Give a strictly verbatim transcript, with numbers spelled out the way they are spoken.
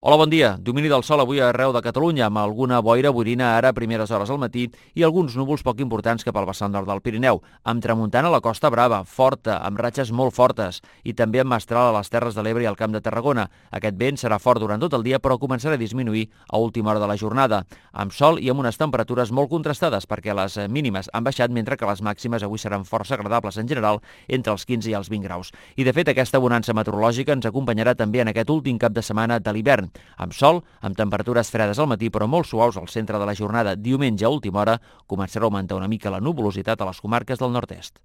Hola, bon dia. Domini del sol avui arreu de Catalunya, amb alguna boira boirina ara a primeres hores al matí i alguns núvols poc importants cap al vessant nord del Pirineu, amb tramuntana a la Costa Brava, forta, amb ratxes molt fortes, i també amb mestral a les Terres de l'Ebre i al Camp de Tarragona. Aquest vent serà fort durant tot el dia, però començarà a disminuir a última hora de la jornada, amb sol i amb unes temperatures molt contrastades, perquè les mínimes han baixat, mentre que les màximes avui seran força agradables en general, entre els quinze i els vint graus. I de fet, aquesta bonança meteorològica ens acompanyarà també en aquest últim cap de setmana de l'hivern, amb sol, amb temperatures fredes al matí però molt suaus al centre de la jornada. Diumenge a última hora començarà a augmentar una mica la nuvolositat a les comarques del nord-est.